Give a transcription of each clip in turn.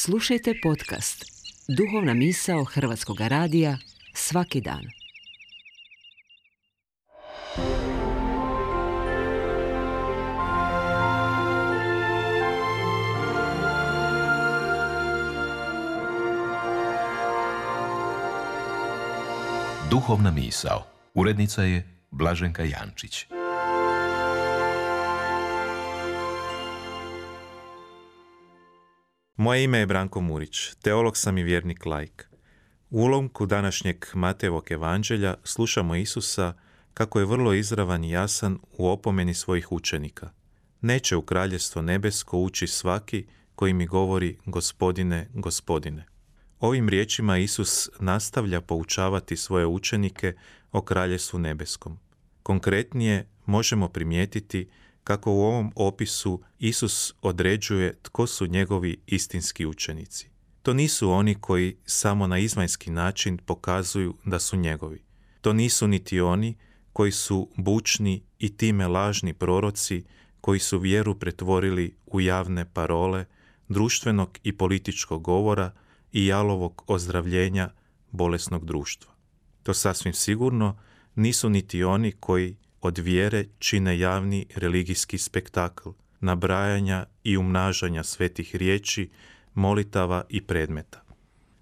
Slušajte podcast Duhovna misao Hrvatskog radija svaki dan. Duhovna misao. Urednica je Blaženka Jančić. Moje ime je Branko Murić, teolog sam i vjernik laik. U ulomku današnjeg Matejevog evanđelja slušamo Isusa kako je vrlo izravan i jasan u opomeni svojih učenika. Neće u kraljevstvo nebesko ući svaki koji mi govori Gospodine, Gospodine. Ovim riječima Isus nastavlja poučavati svoje učenike o kraljevstvu nebeskom. Konkretnije možemo primijetiti kako u ovom opisu Isus određuje tko su njegovi istinski učenici. To nisu oni koji samo na izvanjski način pokazuju da su njegovi. To nisu niti oni koji su bučni i time lažni proroci koji su vjeru pretvorili u javne parole, društvenog i političkog govora i jalovog ozdravljenja bolesnog društva. To sasvim sigurno nisu niti oni koji od vjere čine javni religijski spektakl, nabrajanja i umnažanja svetih riječi, molitava i predmeta.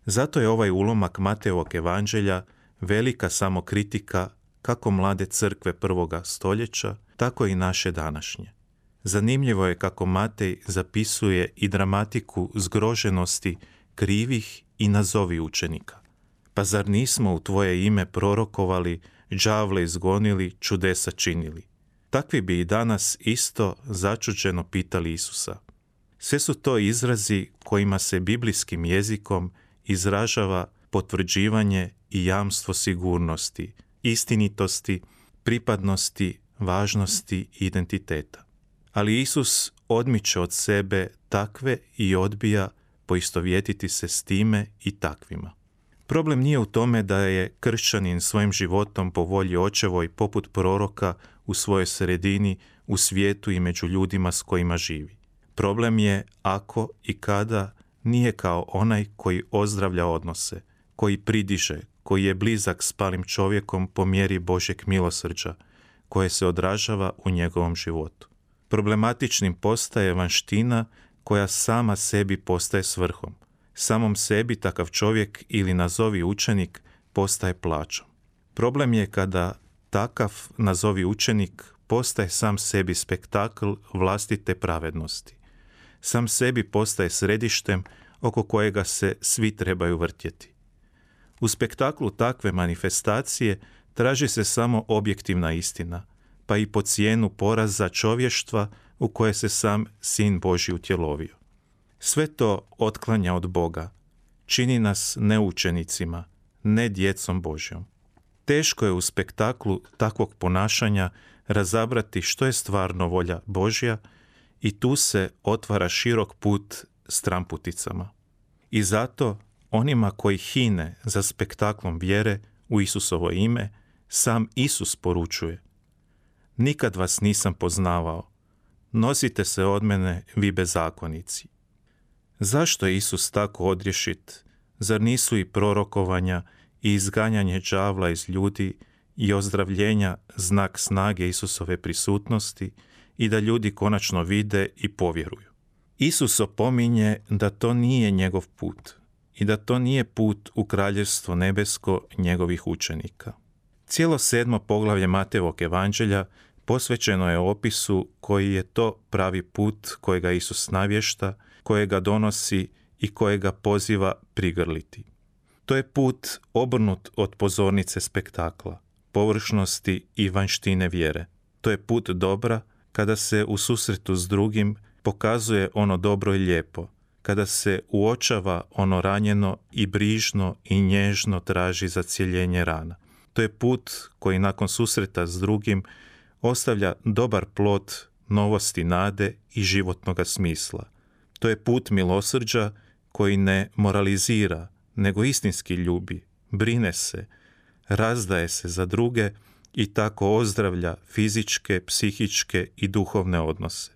Zato je ovaj ulomak Matejevog evanđelja velika samokritika kako mlade crkve prvoga stoljeća, tako i naše današnje. Zanimljivo je kako Matej zapisuje i dramatiku zgroženosti krivih i nazovi učenika. Pa zar nismo u tvoje ime prorokovali, đavle izgonili, čudesa činili? Takvi bi i danas isto začuđeno pitali Isusa. Sve su to izrazi kojima se biblijskim jezikom izražava potvrđivanje i jamstvo sigurnosti, istinitosti, pripadnosti, važnosti i identiteta. Ali Isus odmiče od sebe takve i odbija poistovjetiti se s time i takvima. Problem nije u tome da je kršćanin svojim životom po volji očevoj poput proroka u svojoj sredini, u svijetu i među ljudima s kojima živi. Problem je ako i kada nije kao onaj koji ozdravlja odnose, koji pridiže, koji je blizak s palim čovjekom po mjeri Božjeg milosrđa, koje se odražava u njegovom životu. Problematičnim postaje vanština koja sama sebi postaje svrhom. Samom sebi takav čovjek ili nazovi učenik postaje plaćom. Problem je kada takav nazovi učenik postaje sam sebi spektakl vlastite pravednosti. Sam sebi postaje središtem oko kojega se svi trebaju vrtjeti. U spektaklu takve manifestacije traži se samo objektivna istina, pa i po cijenu poraza čovještva u koje se sam Sin Božji utjelovio. Sve to otklanja od Boga, čini nas ne učenicima, ne djecom Božjom. Teško je u spektaklu takvog ponašanja razabrati što je stvarno volja Božja i tu se otvara širok put stramputicama. I zato onima koji hine za spektaklom vjere u Isusovo ime, sam Isus poručuje: nikad vas nisam poznavao, nosite se od mene, vi bezakonici. Zašto je Isus tako odrješit? Zar nisu i prorokovanja i izganjanje đavla iz ljudi i ozdravljenja znak snage Isusove prisutnosti i da ljudi konačno vide i povjeruju? Isus opominje da to nije njegov put i da to nije put u kraljevstvo nebesko njegovih učenika. Cijelo 7. poglavlje Matejevog evanđelja posvećeno je opisu koji je to pravi put kojega Isus navješta, kojega donosi i kojega poziva prigrliti. To je put obrnut od pozornice spektakla, površnosti i vanjštine vjere. To je put dobra kada se u susretu s drugim pokazuje ono dobro i lijepo, kada se uočava ono ranjeno i brižno i nježno traži zacjeljenje rana. To je put koji nakon susreta s drugim ostavlja dobar plod novosti nade i životnoga smisla. To je put milosrđa koji ne moralizira, nego istinski ljubi, brine se, razdaje se za druge i tako ozdravlja fizičke, psihičke i duhovne odnose.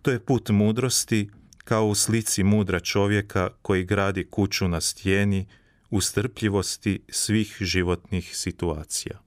To je put mudrosti kao u slici mudra čovjeka koji gradi kuću na stijeni u strpljivosti svih životnih situacija.